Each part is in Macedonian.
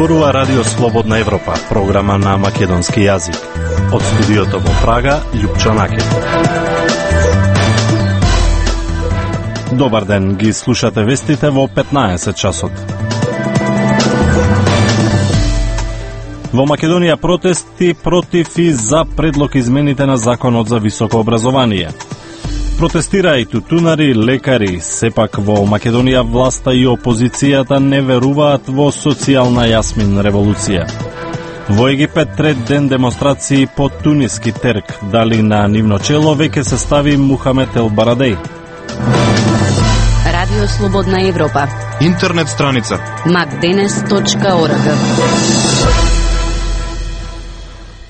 Зборува Радио Слободна Европа, програма на македонски јазик. Од студиото во Прага, Љупчо Накет. Добар ден, ги слушате вестите во 15 часот. Во Македонија протести против и за предлог измените на Законот за високо образование. Протестира и тутунари, лекари. Сепак во Македонија власта и опозицијата не веруваат во социјална јасмин револуција. Во Египет трет ден демонстрации по туниски терк. Дали на нивно чело веќе се стави Мухамед Ел Барадеј. Радио Слободна Европа. Интернет страница macdenes.org.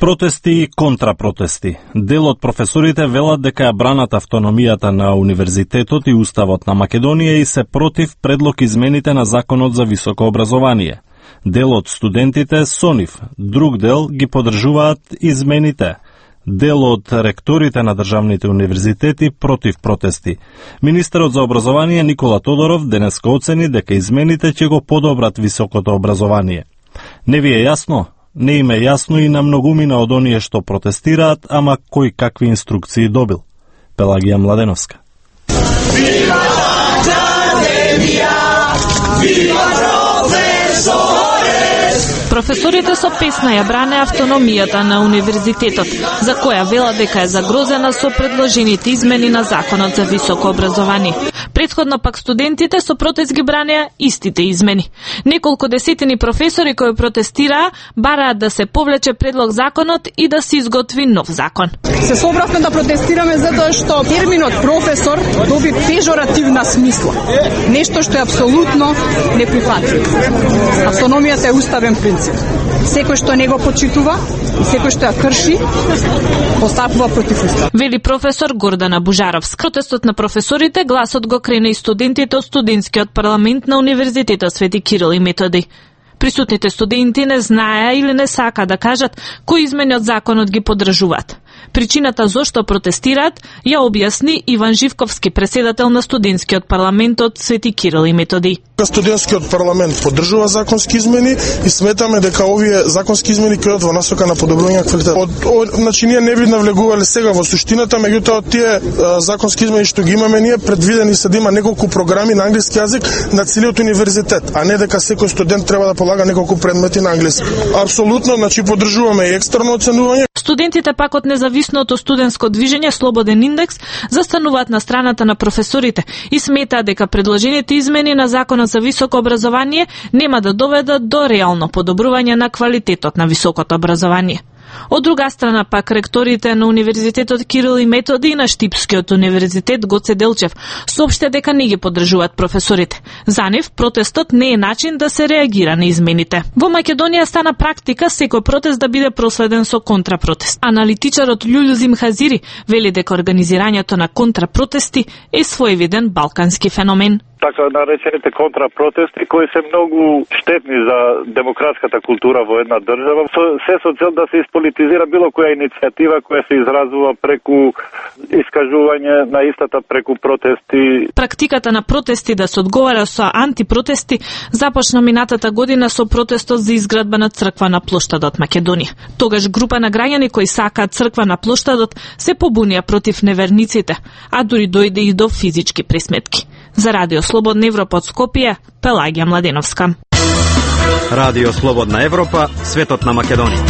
Протести и контрапротести. Дел од професорите велат дека ја бранат автономијата на универзитетот и уставот на Македонија и се против предлог измените на Законот за високо образование. Дел од студентите со нив, друг дел ги поддржуваат измените. Дел од ректорите на државните универзитети против протести. Министерот за образование Никола Тодоров денеска оцени дека измените ќе го подобрат високото образование. Не ви е јасно? Не им е јасно и на многумина од оние што протестираат, ама кој какви инструкции добил. Пелагија Младеновска. Вива академија, вива професорес! Професорите со песна ја бране автономијата на универзитетот, за која велат дека е загрозена со предложените измени на Законот за високо образование. Претходно пак студентите со протест ги бранеа истите измени. Неколку десетини професори кои протестираа бараат да се повлече предлог законот и да се изготви нов закон. Се собравме да протестираме затоа што терминот професор доби пежоративна смисла. Нешто што е апсолутно неприфатливо. Автономијата е уставен принцип. Секој што не го почитува и секој што ја крши, постапува против устав. Вели професор Гордана Бужаровска. Протестот на професорите гласот го крене и студентите од студентскиот парламент на Универзитетот Свети Кирил и Методи. Присутните студенти не знаеа или не сака да кажат кои измени од законот ги поддржуваат. Причината зошто протестираат ја објасни Иван Живковски, председател на студентскиот парламент од Свети Кирил и Методи. Студентскиот парламент поддржува законски измени и сметаме дека овие законски измени ќе одат во насока на подобрување на квалитетот. Значи ние не би навлегувале сега во суштината, меѓутоа тие законски измени што ги имаме ние предвидени се да има неколку програми на англиски јазик на целиот универзитет, а не дека секој студент треба да полага неколку предмети на англиски. Апсолутно, значи поддржуваме и екстерно оценување. Студентите пак од независното студентско движење Слободен индекс застануваат на страната на професорите и сметаат дека предложените измени на Законот за високо образование нема да доведат до реално подобрување на квалитетот на високото образование. Од друга страна пак ректорите на Универзитетот Кирил и Методи и на Штипскиот универзитет Гоце Делчев соопште дека не ги поддржуваат професорите. За нив протестот не е начин да се реагира на измените. Во Македонија стана практика секој протест да биде проследен со контрапротест. Аналитичарот Љулјузим Хазири вели дека организирањето на контрапротести е своевиден балкански феномен. Така наречените контрапротести кои се многу штетни за демократската култура во една држава, се со цел да се исполитизира било која иницијатива која се изразува преку искажување на истата преку протести. Практиката на протести да се одговара со антипротести започна минатата година со протестот за изградба на црква на плоштадот Македонија. Тогаш група на граѓани кои сакаат црква на плоштадот се побунија против неверниците, а дури дојде и до физички пресметки. За Радио Слободна Европа од Скопје, Пелагија Младеновска. Радио Слободна Европа, светот на Македонија.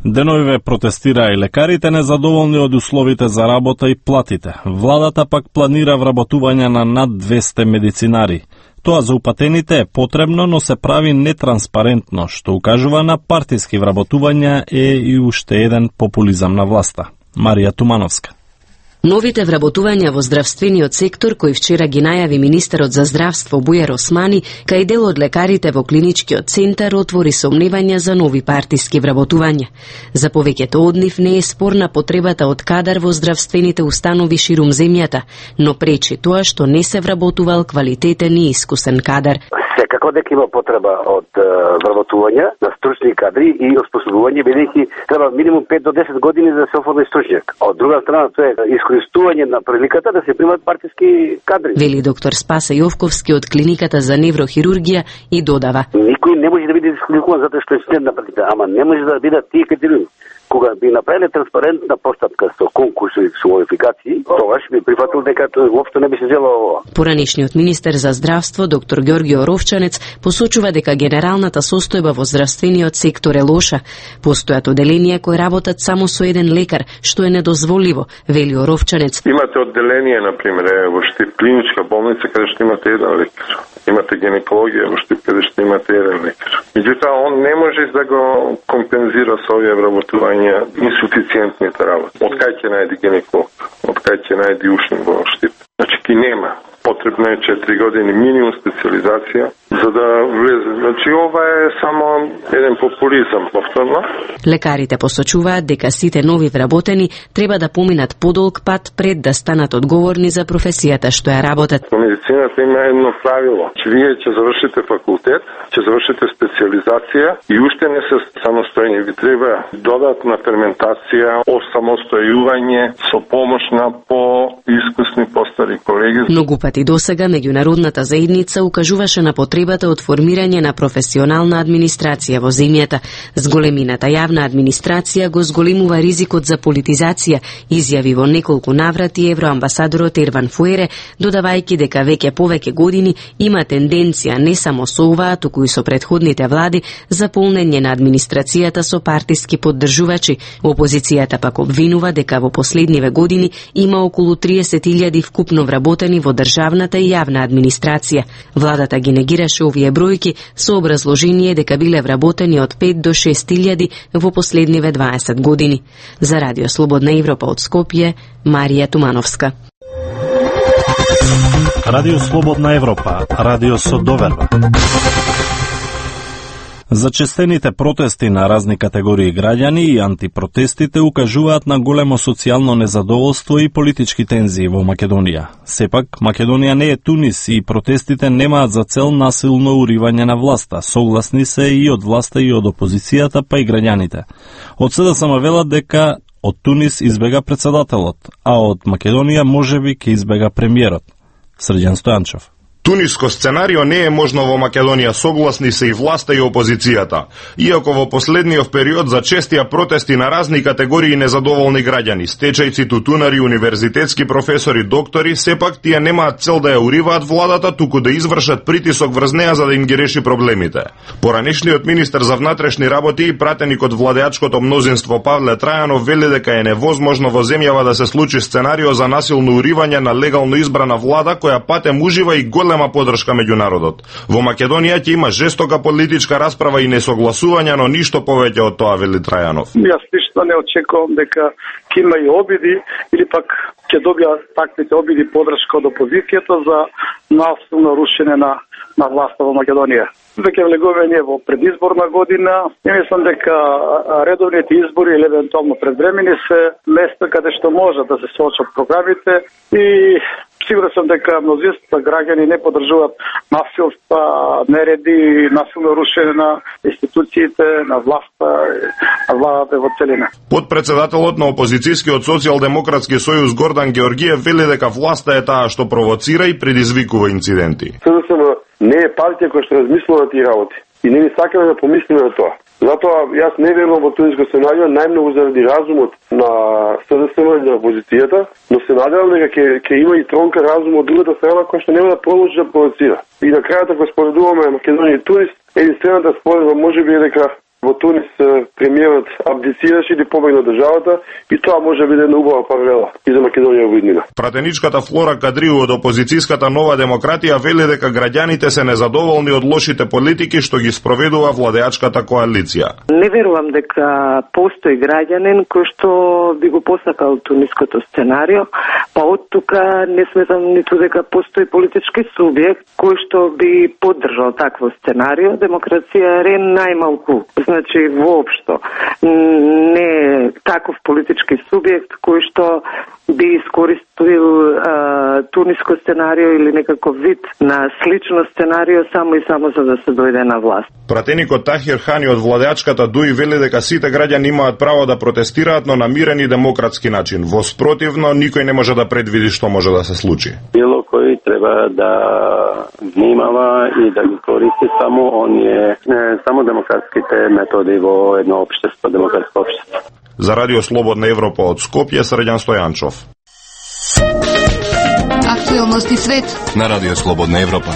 Деновиве протестираа и лекарите незадоволни од условите за работа и платите. Владата пак планира вработување на над 200 медицинари. Тоа за упатените е потребно, но се прави нетранспарентно, што укажува на партиски вработувања и уште еден популизам на власта. Марија Тумановска. Новите вработувања во здравствениот сектор, кои вчера ги најави министерот за здравство Бујар Османи, кај дел од лекарите во клиничкиот центар, отвори сомневања за нови партиски вработувања. За повеќето од нив не е спорна потребата од кадар во здравствените установи ширум земјата, но пречи тоа што не се вработувал квалитетен и искусен кадар. Секако дека има потреба од вработување на стручни кадри и оспособување, бидејќи треба минимум 5 до 10 години за да се оформи стручњак. Од друга страна, тоа е искористување на приликата да се примат партиски кадри. Вели доктор Спасе Јовковски од клиниката за неврохирургија и додава: Никој не може да биде дисквалификуван затоа што е член на партијата, ама не може да бидат тие критериуми. Кога би направиле транспарентна постапка со конкурси и со модификации, тогаш би прифатил дека воопшто не би се дело ова. Поранешниот министер за здравство доктор Ѓорѓе Оровчанец посочува дека генералната состојба во здравствениот сектор е лоша. Постојат оделенија кои работат само со еден лекар, што е недозволиво, вели Оровчанец. Имате одделение, например, во Штип клиничка болница каде што имате еден лекар. Имате гинекологија во Штип каде што имате еден лекар. Меѓутоа он не може да го компензира со овие вработувања инсуфициентните работи. Од кај ќе најде гинеколог? Од кај ќе најде ушник во Штип? Значи ки нема. Потребно е 4 години минимум специализација за да влезе. Значи ова е само еден популизам, повторно. Лекарите посочуваат дека сите нови вработени треба да поминат подолг пат пред да станат одговорни за професијата што ја работат. Во медицината има едно правило, че вие ќе завршите факултет, ќе завршите специализација и уште не се самостојни. Ви треба додатна ферментација, осамостојување со помош на по-искусни постари колеги. Многу пати досега меѓународната заедница укажуваше на потребата од формирање на професионална администрација во земјата. Зголемината јавна администрација го зголемува ризикот за политизација, изјави во неколку наврати евроамбасадорот Ерван Фуере, додавајќи дека повеќе години има тенденција не само со оваа, туку и со претходните влади за полнење на администрацијата со партиски поддржувачи. Опозицијата пак обвинува дека во последниве години има околу 30.000 вкупно вработени во државната и јавна администрација. Владата ги негираше овие бројки со образложение дека биле вработени од 5 до 6.000 во последниве 20 години. За Радио Слободна Европа од Скопје, Марија Тумановска. Радио Слободна Европа, радио со доверба. Зачестените протести на разни категории граѓани и антипротестите укажуваат на големо социјално незадоволство и политички тензии во Македонија. Сепак, Македонија не е Тунис и протестите немаат за цел насилно уривање на власта. Согласни се и од власта и од опозицијата, па и граѓаните. Од СДСМ велат дека од Тунис избега председателот, а од Македонија можеби ќе избега премиерот. Срđan Стојанчев. Туниско сценарио не е можно во Македонија, согласни се и власта и опозицијата. Иако во последниот период за честија протести на разни категории незадоволни граѓани, стечајци, тутунари, универзитетски професори, доктори, сепак тие немаат цел да ја уриваат владата, туку да извршат притисок врз неа за да им ги реши проблемите. Поранешниот министер за внатрешни работи и пратеник од владеачкото мнозинство Павле Трајанов вели дека е невозможно во земјава да се случи сценарио за насилно уривање на легално избрана влада која патем ужива и голема поддршка меѓу народот. Во Македонија ќе има жестока политичка расправа и несогласување, но ништо повеќе од тоа, вели Трајанов. Јас ништо не очекувам дека ќе има и обиди или пак ќе добијат таквите обиди поддршка од опозицијата за насилно рушење на власта во Македонија. Веќе влегуваме ние во предизборна година и мислам дека редовните избори или евентуално предвремени се место каде што може да се соочат програмите и сигурен сум дека мнозинството граѓани не поддржуваат насилства, нереди, насилно рушење на институциите, на власта, на владата во целина. Подпредседателот на опозицијскиот социјалдемократски сојуз Гордан Георгиев вели дека власта е таа што провоцира и предизвикува инциденти. СДСМ не е партија која што размислува тие работи и не ни сакаме да помислиме на тоа. Затоа јас не верувам во туниско сценарио, најмногу заради разумот на СДСМ и на опозицијата, но се надевам дека ќе има и тронка разум од другата страна која што нема да продолжи да провоцира. И на крајот ако споредуваме Македонија и Тунис, единствената споредба можеби е дека во Тунис премиерот абдицираше или побегна од државата и тоа може биде една убава паралела и за Македонија во иднина. Пратеничката Флора Кадриу од опозицијската Нова демократија вели дека граѓаните се незадоволни од лошите политики што ги спроведува владеачката коалиција. Не верувам дека постои граѓанин кој што би го посакал туниското сценарио, па од тука не сметам ниту дека постои политички субјект кој што би поддржал такво сценарио. Демокрација е најмалку. Значи, воопшто не е таков политички субјект кој што би искористил туниско сценарио или некаков вид на слично сценарио само и само за да се дојде на власт. Пратеникот Тахир Хани од владеачката ДУИ вели дека сите граѓани имаат право да протестираат, но на мирен и демократски начин. Во спротивно, никој не може да предвиди што може да се случи. Било кој треба да внимава и да ги користи само демократските методи во едно општество, демократско општество. За Радио Слободна Европа од Скопје, Срđan Стојанчов. Актуелности свет на Радио Слободна Европа.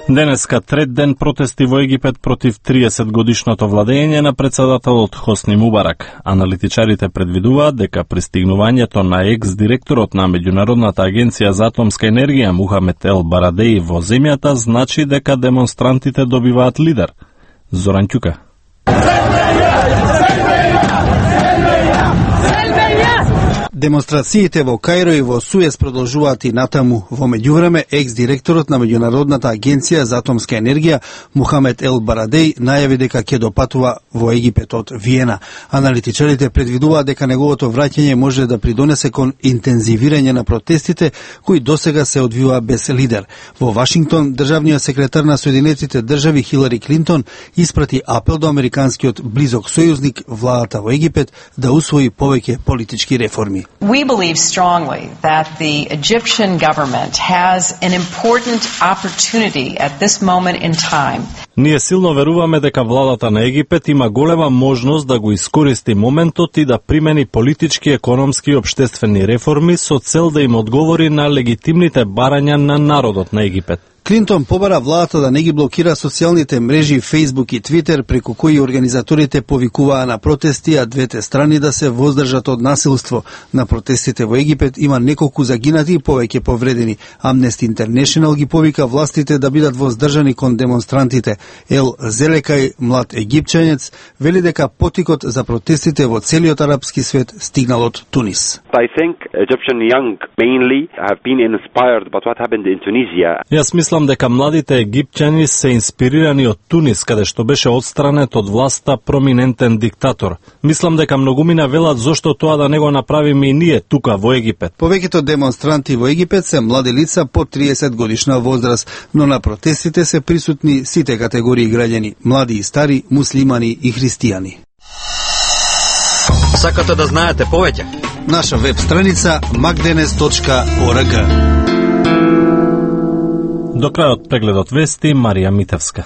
Денеска трет ден протести во Египет против 30 годишното владење на председателот Хосни Мубарак. Аналитичарите предвидуваат дека пристигнувањето на екс-директорот на Меѓународната агенција за атомска енергија Мухамед Ел Барадеи во земјата значи дека демонстрантите добиваат лидер. Зоран Ќука. Демонстрациите во Каиро и во Суез продолжуваат и натаму. Во меѓувреме, екс-директорот на Меѓународната агенција за атомска енергија Мухамед Ел Барадеи најави дека ќе допатува во Египет од Виена. Аналитичарите предвидуваат дека неговото враќање може да придонесе кон интензивирање на протестите кои досега се одвива без лидер. Во Вашингтон, државниот секретар на Соединетите држави Хилари Клинтон испрати апел до американскиот близок сојузник, владата во Египет, да усвои повеќе политички реформи. We believe strongly that the Egyptian government has an important opportunity at this moment in time. Ние силно веруваме дека владата на Египет има голема можност да го искористи моментот и да примени политички, економски и општествени реформи со цел да им одговори на легитимните барања на народот на Египет. Клинтон побара владата да не ги блокира социјалните мрежи Facebook и Twitter, преку кои организаторите повикуваа на протести, а двете страни да се воздржат од насилство. На протестите во Египет има неколку загинати и повеќе повредени. Amnesty International ги повика властите да бидат воздржани кон демонстрантите. Ел Зелекај, млад египчанец, вели дека потикот за протестите во целиот арапски свет стигнал од Тунис. I think Egyptian young mainly have been inspired by what happened in Tunisia. Јас мислам дека младите египчани се инспирирани од Тунис, каде што беше отстранет од власта проминентен диктатор. Мислам дека многумина велат зошто тоа да не го направиме и ние тука во Египет. Повеќето демонстранти во Египет се млади лица под 30 годишна возраст, но на протестите се присутни сите категории граѓани, млади и стари, муслимани и христијани. Сакате да знаете повеќе? Наша веб страница magdenes.org. До крајот прегледот вести, Марија Митевска.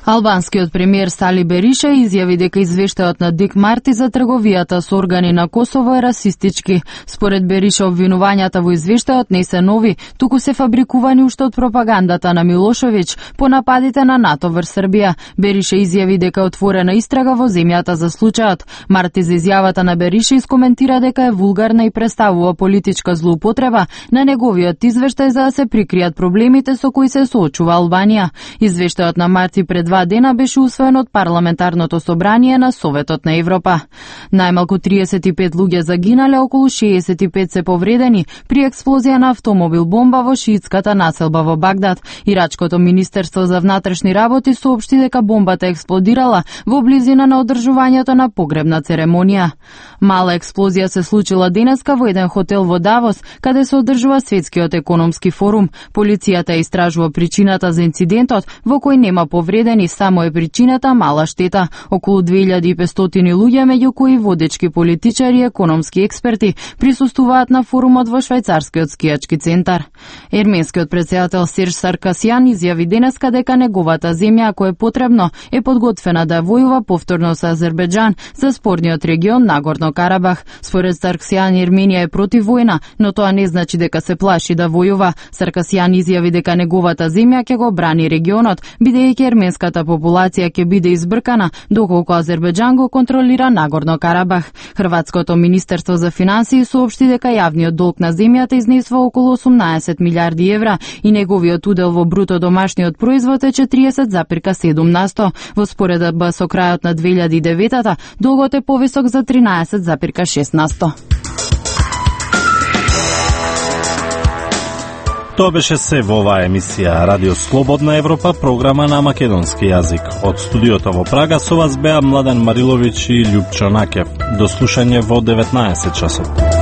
Албанскиот премиер Сали Бериша изјави дека извештајот на Дик Марти за трговијата со органи на Косово е расистички. Според Бериша, обвинувањата во извештајот не се нови, туку се фабрикувани уште од пропагандата на Милошевиќ по нападите на НАТО врз Србија. Бериша изјави дека е отворена истрага во земјата за случајот. Марти за изјавата на Бериша искоментира дека е вулгарна и представува политичка злоупотреба на неговиот извештај за да се прикријат проблемите со кои се соочува Албанија. Извештајот на Марти пред 2 дена беше усвоен од парламентарното собрание на Советот на Европа. Најмалку 35 луѓе загинале, околу 65 се повредени при експлозија на автомобил бомба во шиитската населба во Багдад. Ирачкото министерство за внатрешни работи соопшти дека бомбата експлодирала во близина на одржувањето на погребна церемонија. Мала експлозија се случила денеска во еден хотел во Давос, каде се одржува Светскиот економски форум. Полицијата истражува причината за инцидентот, во кој нема повредени, само е причината мала штета. Околу 2500 луѓе, меѓу кои водечки политичари и економски експерти, присуствуваат на форумот во швајцарскиот скијачки центар. Ерменскиот председател Серж Саркасјан изјави денеска дека неговата земја, ако е потребно, е подготвена да војува повторно со Азербејџан за спорниот регион Нагорно Карабах. Според Саркасјан, Ерменија е против војна, но тоа не значи дека се плаши да војува. Саркасјан изјави дека неговата земја ќе го брани регионот, бидејќи ерменската популација ќе биде избркана доколку Азербејџан го контролира Нагорно Карабах. Хрватското министерство за финансии соопшти дека јавниот долг на земјата изнесува околу 18 милиарди евра и неговиот удел во бруто домашниот производ е 40,7%. Во споредба со крајот на 2009-та, долгот е повисок за 13,6%. Тоа беше се во оваа емисија Радио Слободна Европа, програма на македонски јазик. Од студиото во Прага со вас беа Младен Мариловиќ и Љупчо Накев. До слушање во 19 часот.